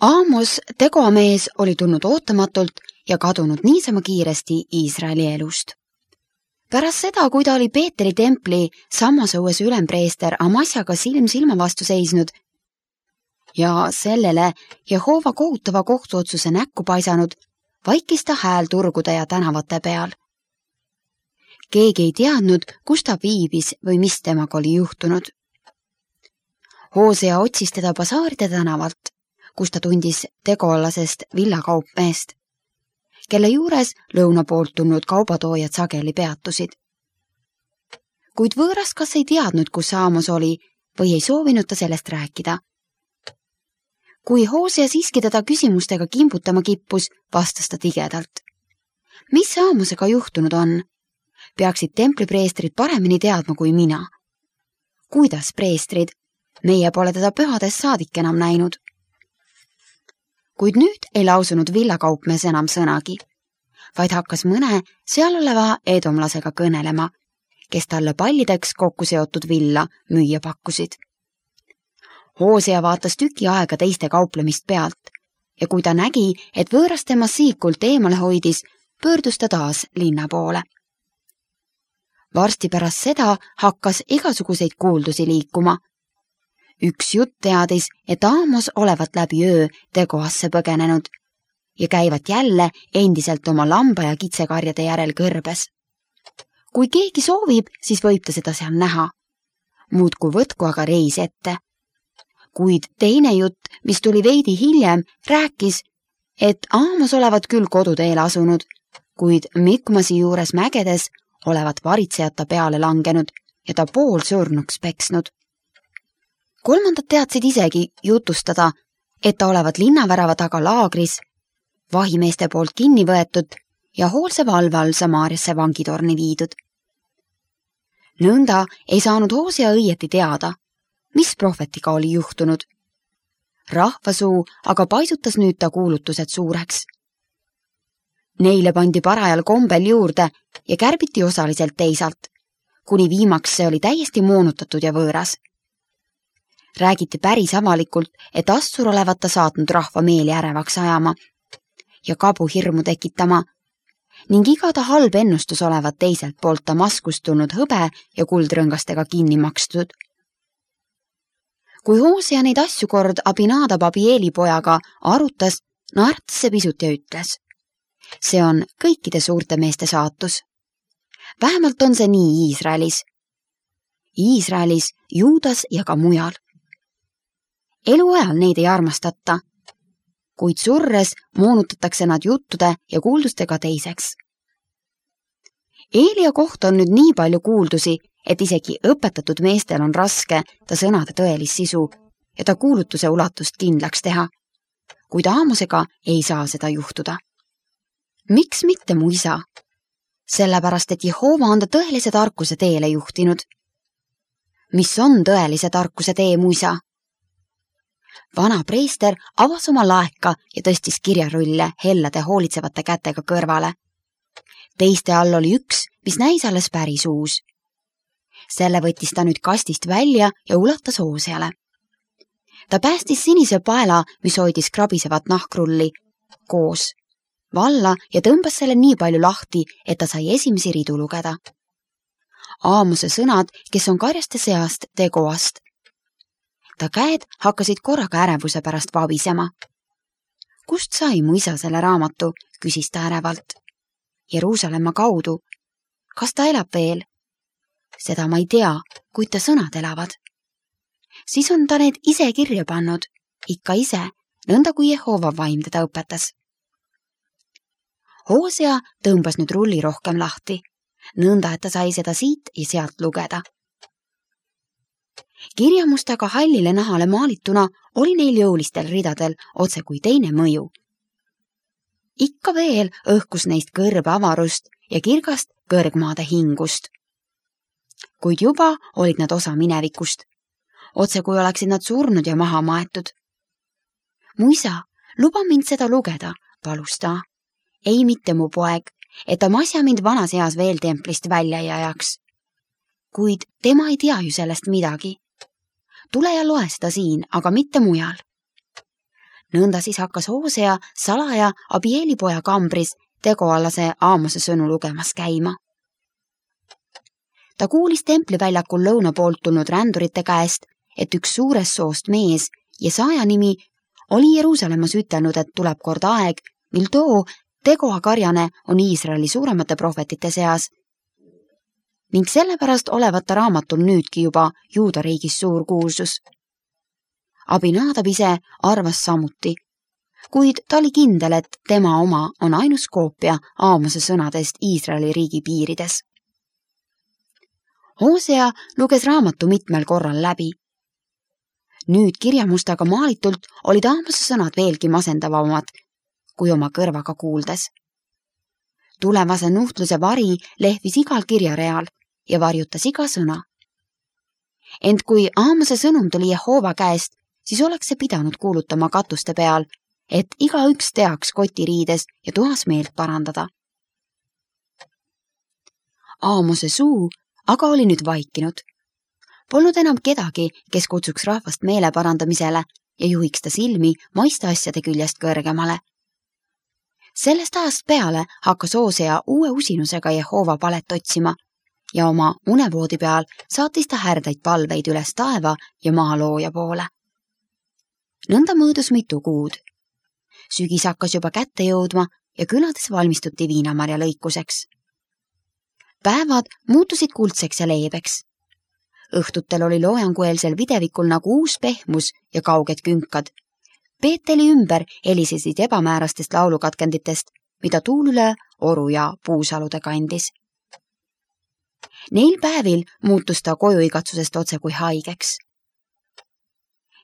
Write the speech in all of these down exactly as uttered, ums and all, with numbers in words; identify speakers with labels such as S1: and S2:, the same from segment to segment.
S1: Aamos, tegoamees, oli tulnud ootamatult ja kadunud niisama kiiresti Iisraeli elust. Pärast seda, kui ta oli Peetri templi Sammasõues ülempreester Amasjaga silm silma vastu seisnud ja sellele Jehova kohutava kohtuotsuse näkku paisanud, vaikis ta hääl turgude ja tänavate peal. Keegi ei teadnud, kus ta viibis või mis temaga oli juhtunud. Hoosea otsis teda basaaride tänavalt, kus ta tundis tegolasest villakaupmeest, kelle juures lõuna poolt tulnud kaubatoojad sageli peatusid. Kuid võõras kas ei teadnud, kus Aamos oli või ei soovinud ta sellest rääkida. Kui Hoosea siiski teda küsimustega kimbutama kippus, vastas ta tigedalt. Mis Aamosega juhtunud on? Peaksid templipreestrid paremini teadma kui mina. Kuidas preestrid? Meie pole teda pühades saadik enam näinud. Kuid nüüd ei lausunud villakaupmees enam sõnagi, vaid hakkas mõne seal oleva edomlasega kõnelema, kes talle pallideks kokku seotud villa müüa pakkusid. Hoosea vaatas tüki aega teiste kauplemist pealt ja kui ta nägi, et võõras tema siikult eemale hoidis, pöördus ta taas linna poole. Varsti pärast seda hakkas igasuguseid kuuldusi liikuma. Üks jutt teadis, et Aamos olevat läbi öö tegoasse põgenenud ja käivat jälle endiselt oma lamba- ja kitsekarjade järel kõrbes. Kui keegi soovib, siis võib ta seda seal näha. Muudku võtku aga reis ette. Kuid teine jutt, mis tuli veidi hiljem, rääkis, et Aamos olevat küll koduteel asunud, kuid Mikmasi juures mägedes olevat varitsejata peale langenud ja ta pool surnuks peksnud. Kolmandad teadsid isegi jutustada, et ta olevat linnavärava taga laagris, vahimeeste poolt kinni võetud ja hoolse valve all Samaariasse vangitorni viidud. Nõnda ei saanud Hoosea õieti teada, mis prohvetiga oli juhtunud. Rahvasuu aga paisutas nüüd ta kuulutused suureks. Neile pandi parajal kombel juurde ja kärbiti osaliselt teisalt, kuni viimaks see oli täiesti moonutatud ja võõras. Räägiti päris avalikult, et Assur olevat ta saatnud rahva meeli ärevaks ajama ja kabu hirmu tekitama ning iga ta halb ennustus olevat teiselt poolt Damaskust tulnud hõbe ja kuldrõngastega kinni makstud. Kui Hoosea neid asju kord Abinadab Abieli pojaga arutas, naertas see pisut ja ütles. See on kõikide suurte meeste saatus. Vähemalt on see nii Iisraelis. Iisraelis, Juudas ja ka mujal. Eluajal neid ei armastata, kuid surres moonutatakse nad juttude ja kuuldustega teiseks. Eelia kohta on nüüd nii palju kuuldusi, et isegi õpetatud meestel on raske ta sõnade tõelis sisu ja ta kuulutuse ulatust kindlaks teha, kuid Aamosega ei saa seda juhtuda. Miks mitte mu isa? Sellepärast, et Jehova on ta tõelise tarkuse teele juhtinud. Mis on tõelise tarkuse tee, mu isa? Vana preester avas oma laeka ja tõstis kirjarulle hellade hoolitsevate kätega kõrvale. Teiste all oli üks, mis näis alles päris uus. Selle võttis ta nüüd kastist välja ja ulatas Hooseale. Ta päästis sinise paela, mis hoidis krabisevat nahkrulli, koos valla ja tõmbas selle nii palju lahti, et ta sai esimesi ridu lugeda. Aamose sõnad, kes on karjaste seast tegoast. Ta käed hakkasid korraga ärevuse pärast vabisema. Kust sai mu isa selle raamatu, küsis ta ärevalt. Jeruusalemma kaudu. Kas ta elab veel? Seda ma ei tea, kuid ta sõnad elavad. Siis on ta need ise kirja pannud, ikka ise, nõnda kui Jehova vaim teda õpetas. Hoosea tõmbas nüüd rulli rohkem lahti, nõnda, et ta sai seda siit ja sealt lugeda. Kirjamustaga hallile nahale maalituna oli neil jõulistel ridadel otse kui teine mõju. Ikka veel õhkus neist kõrbe avarust ja kirgast kõrgmaade hingust. Kuid juba olid nad osa minevikust, otse kui oleksid nad surnud ja maha maetud. Mu isa, luba mind seda lugeda, palus ta. Ei mitte mu poeg, et Amasja mind vanas eas veel templist välja ei ajaks. Kuid tema ei tea ju sellest midagi. Tule ja loe seda siin, aga mitte mujal. Nõnda siis hakkas Hoosea salaja Abielipoja kambris tegoalase Aamose sõnu lugemas käima. Ta kuulis templiväljakul lõuna poolt tulnud rändurite käest, et üks suurest soost mees ja saaja nimi oli Jeruusalemmas ütelnud, et tuleb kord aeg, mil too Tegoa karjane on Iisraeli suuremate prohvetite seas ning sellepärast olevat ta raamatul nüüdki juba Juuda riigis suur kuulsus. Abinadab ise arvas samuti, kuid ta oli kindel, et tema oma on ainus koopia Aamose sõnadest Iisraeli riigi piirides. Hoosea luges raamatu mitmel korral läbi. Nüüd kirjamustaga maalitult olid Aamose sõnad veelgi masendavamad, kui oma kõrvaga kuuldes. Tulevase nuhtluse vari lehvis igal kirjareal ja varjutas iga sõna. Ent kui Aamose sõnum tuli Jehova käest, siis oleks see pidanud kuulutama katuste peal, et iga üks teaks kotiriides ja tuhas meelt parandada. Aamose suu aga oli nüüd vaikinud. Polnud enam kedagi, kes kutsuks rahvast meele parandamisele ja juhiks ta silmi maiste asjade küljest kõrgemale. Sellest ajast peale hakkas Hoosea uue usinusega Jehova palet otsima ja oma unevoodi peal saatis ta härdaid palveid üles taeva ja maa looja poole. Nõnda mõõdus mitu kuud. Sügis hakkas juba kätte jõudma ja külades valmistuti viinamarja lõikuseks. Päevad muutusid kuldseks ja leebeks. Õhtutel oli loojangueelsel videvikul nagu uus pehmus ja kauged künkad. Peeteli ümber helisesid ebamäärastest laulukatkenditest, mida tuul üle oru ja puusalude kandis. Neil päevil muutus ta kojuigatsusest otse kui haigeks.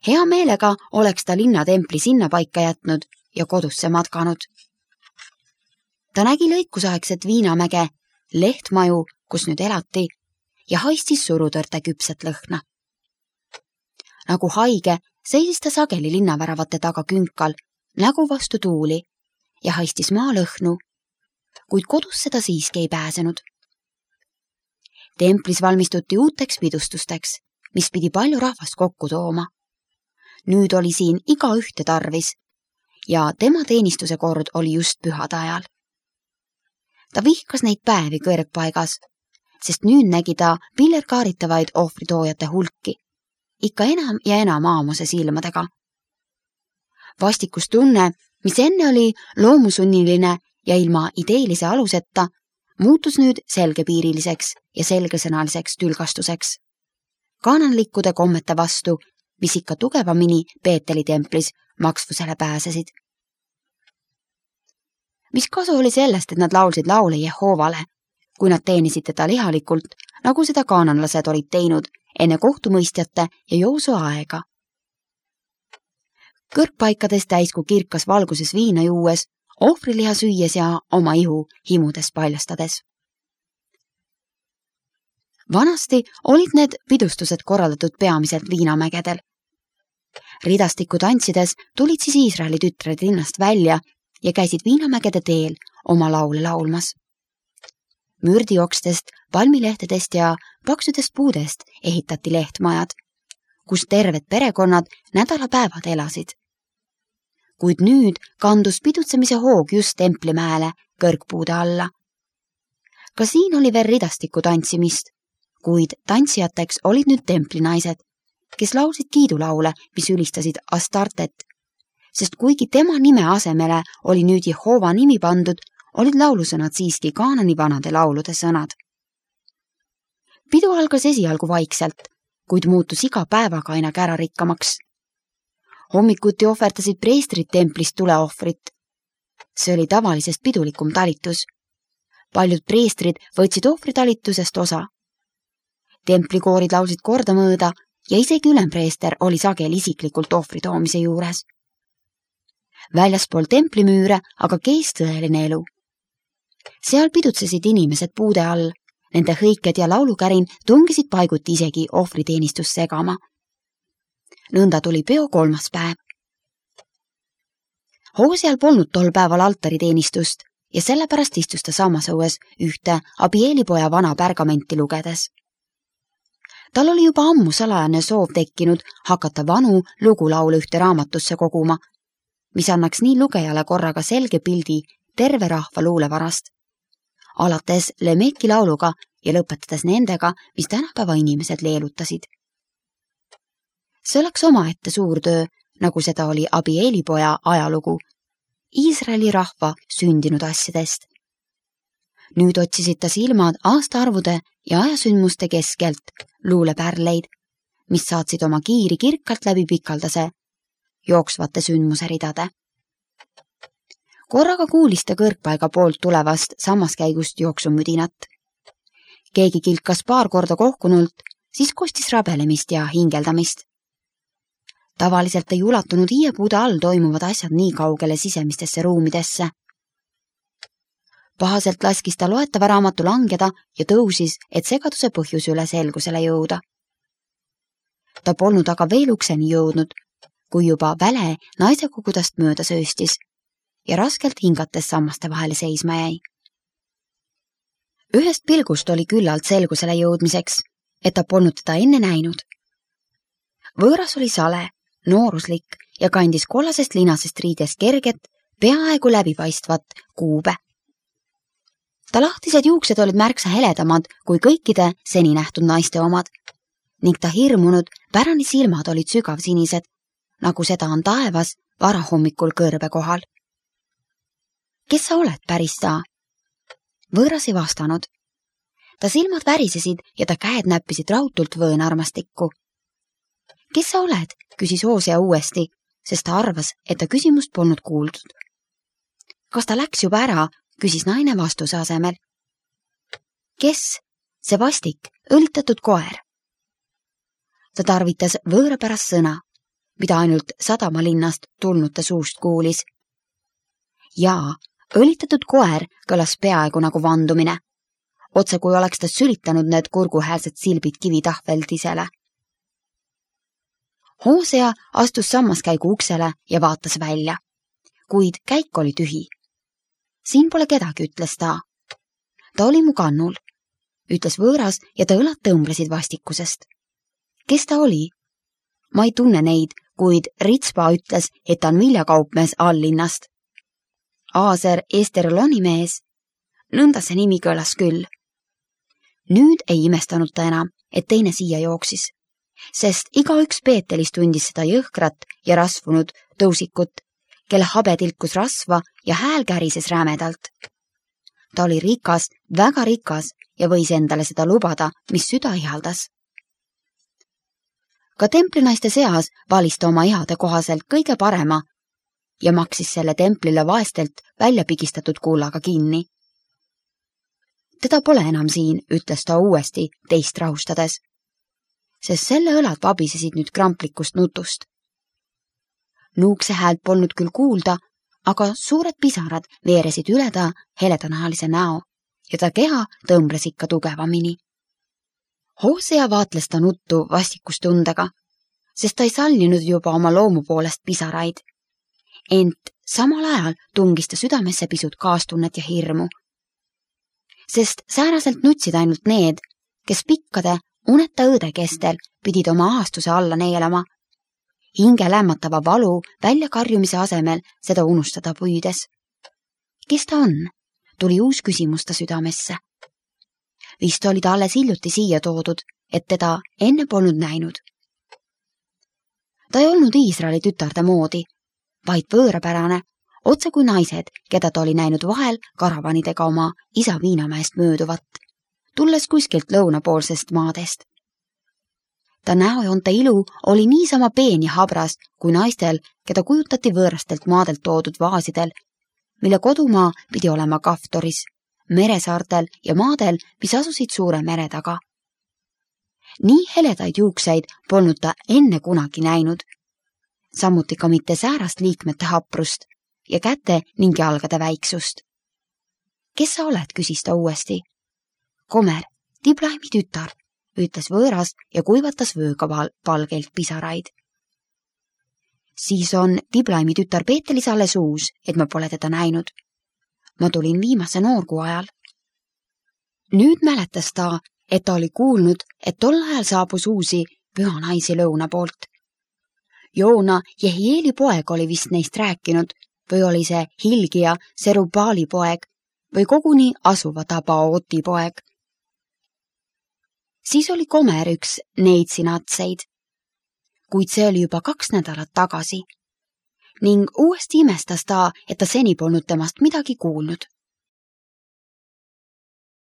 S1: Hea meelega oleks ta linnatempli sinna paika jätnud ja kodusse matkanud. Ta nägi lõikusaegset viinamäge, lehtmaju, kus nüüd elati, ja haistis surutõrte küpset lõhna. Nagu haige seisis ta sageli linnaväravate taga künkal, nägu vastu tuuli ja haistis maalõhnu, kuid kodusse ta siiski ei pääsenud. Templis valmistuti uuteks pidustusteks, mis pidi palju rahvast kokku tooma. Nüüd oli siin iga ühte tarvis ja tema teenistuse kord oli just pühade ajal. Ta vihkas neid päevi kõrgpaigas, sest nüüd nägi ta pillerkaaritavaid ohvritoojate hulki, ikka enam ja enam Aamose silmadega. Vastikustunne, mis enne oli loomusunniline ja ilma ideelise aluseta, muutus nüüd selgepiiriliseks ja selgesõnaliseks tülgastuseks. Kaananlikkude kommete vastu, mis ikka tugevamini Peeteli templis maksvusele pääsesid. Mis kasu oli sellest, et nad laulsid laule Jehovale, kui nad teenisid teda lihalikult, nagu seda kaananlased olid teinud enne kohtumõistjate ja Joosua aega. Kõrgpaikades täisku kirkas valguses viina juues, ohvriliha süües ja oma ihu himudes paljastades. Vanasti olid need pidustused korraldatud peamiselt viinamägedel. Ridastiku tantsides tulid siis Iisraeli tütred linnast välja ja käisid viinamägede teel oma laule laulmas. Mürdiokstest, palmilehtedest ja paksudest puudest ehitati lehtmajad, kus terved perekonnad nädalapäevad elasid. Kuid nüüd kandus pidutsemise hoog just Templimäele kõrgpuude alla. Ka siin oli veel ridastiku tantsimist, kuid tantsijateks olid nüüd templinaised, kes laulsid kiidulaule, mis ülistasid Astartet, sest kuigi tema nime asemele oli nüüd Jehova nimi pandud, olid laulusõnad siiski Kaanani vanade laulude sõnad. Pidu algas esialgu vaikselt, kuid muutus iga päevaga aina kärarikkamaks. Hommikuti ohverdasid preestrid templist tuleohvrit. See oli tavalisest pidulikum talitus. Paljud preestrid võtsid ohvritalitusest osa. Templikoorid laulsid kordamõõda ja isegi ülempreester oli sageli isiklikult ohvri toomise juures. Väljaspool templimüüre aga keis tõeline elu. Seal pidutsesid inimesed puude all, nende hõiked ja laulukärin tungisid paiguti isegi ohvriteenistust segama. Nõnda tuli peo kolmas päev. Hooseal polnud tol päeval altariteenistust ja sellepärast istus ta samas õues ühte Abielipoja vana pergamenti lugedes. Tal oli juba ammu salajane soov tekkinud hakata vanu lugulaule ühte raamatusse koguma mis annaks nii lugejale korraga selge pildi terve rahva luulevarast, alates Lemeki lauluga ja lõpetades nendega, mis tänapäeva inimesed leelutasid. See oleks omaette suur töö, nagu seda oli Abieli poja ajalugu, Iisraeli rahva sündinud asjadest. Nüüd otsisid ta silmad aastaarvude ja ajasündmuste keskelt luulepärleid, mis saatsid oma kiiri kirkalt läbi pikaldase, jooksvate sündmuse ridade. Korraga kuulis ta kõrgpaiga poolt tulevast sammaskäigust jooksumüdinat. Keegi kilkas paar korda kohkunult, siis kostis rabelemist ja hingeldamist. Tavaliselt ei ulatunud hiiepuude all toimuvad asjad nii kaugele sisemistesse ruumidesse. Pahaselt laskis ta loetava raamatu langeda ja tõusis, et segaduse põhjus üle selgusele jõuda. Ta polnud aga veel ukseni jõudnud, kui juba väle naise kogudast mööda sööstis ja raskelt hingates sammaste vahele seisma jäi. Ühest pilgust oli küllalt selgusele jõudmiseks, et ta polnud teda enne näinud. Võõras oli sale, nooruslik ja kandis kollasest linasest riidest kerget, peaaegu läbipaistvat kuube. Ta lahtised juuksed olid märksa heledamad kui kõikide seni nähtud naiste omad ning ta hirmunud pärani silmad olid sügavsinised, nagu seda on taevas varahommikul kõrbe kohal. Kes sa oled, päris ta? Võõras ei vastanud. Ta silmad värisesid ja ta käed näppisid rautult võõnarmastikku. Kes sa oled? Küsis Hoosea uuesti, sest ta arvas, et ta küsimust polnud kuuldud. Kas ta läks juba ära? Küsis naine vastuse asemel. Kes? See vastik, õlitatud koer. Ta tarvitas võõrapärast sõna, mida ainult sadamalinnast tulnute suust kuulis. Jaa, õlitatud koer kõlas peaaegu nagu vandumine. Otse kui oleks ta sülitanud need kurguhäälsed silbid kivitahveldisele. Hoosea astus sammaskäigu uksele ja vaatas välja, kuid käik oli tühi. Siin pole kedagi, ütles ta. Ta oli mu kannul, ütles võõras ja ta õlad tõmblesid vastikusest. Kes ta oli? Ma ei tunne neid, kuid Ritspa ütles, et ta on viljakaupmees alllinnast. Aaser Esterloni mees. Nõnda see nimi kõlas küll. Nüüd ei imestanud ta enam, et teine siia jooksis, sest igaüks Peetelis tundis seda jõhkrat ja rasvunud tõusikut, kelle habe tilkus rasva ja hääl kärises rämedalt. Ta oli rikas, väga rikas ja võis endale seda lubada, mis süda ihaldas. Ka templinaiste seas valis ta oma ihade kohaselt kõige parema ja maksis selle templile vaestelt välja pigistatud kullaga kinni. Teda pole enam siin, ütles ta uuesti teist rahustades, sest selle õlad vabisesid nüüd kramplikust nutust. Nuukse häält polnud küll kuulda, aga suured pisarad veeresid üle ta heledanahalise näo ja ta keha tõmbles ikka tugevamini. Hoosea vaatles ta nuttu vastikustundega, sest ta ei sallinud juba oma loomu poolest pisaraid. Ent samal ajal tungis ta südamesse pisut kaastunnet ja hirmu. Sest sääraselt nutsid ainult need, kes pikkade uneta õõde kestel pidid oma aastuse alla neelama, hinge lämmatava valu väljakarjumise asemel seda unustada püüdes. Kes ta on? Tuli uus küsimus ta südamesse. Vist oli ta alles hiljuti siia toodud, et teda enne polnud näinud. Ta ei olnud Iisraeli tütarde moodi, vaid võõrapärane, otse kui naised, keda ta oli näinud vahel karavanidega oma isa Viinamäest mööduvat, tulles kuskilt lõunapoolsest maadest. Ta näojoonte ilu oli niisama peen ja habras kui naistel, keda kujutati võõrastelt maadelt toodud vaasidel, mille kodumaa pidi olema Kaftoris, meresaartel ja maadel, mis asusid suure mere taga. Nii heledaid juukseid polnud ta enne kunagi näinud, samuti ka mitte säärast liikmete haprust ja käte ning jalgade väiksust. Kes sa oled, küsis ta uuesti. Komer, Diblaimi tütar, ütles võõras ja kuivatas vööga palgelt pisaraid. Siis on Diblaimi tütar Peetelis alles uus, et ma pole teda näinud. Ma tulin viimase noorkuu ajal. Nüüd mäletas ta, et ta oli kuulnud, et tol ajal saabus uusi püha naisi lõuna poolt. Joona Jehieli poeg oli vist neist rääkinud või oli see Hilgia Serubaali poeg või koguni asuva Tabaoti poeg. Siis oli Gomer üks neid sinatseid, kuid see oli juba kaks nädalat tagasi ning uuesti imestas ta, et ta seni polnud temast midagi kuulnud.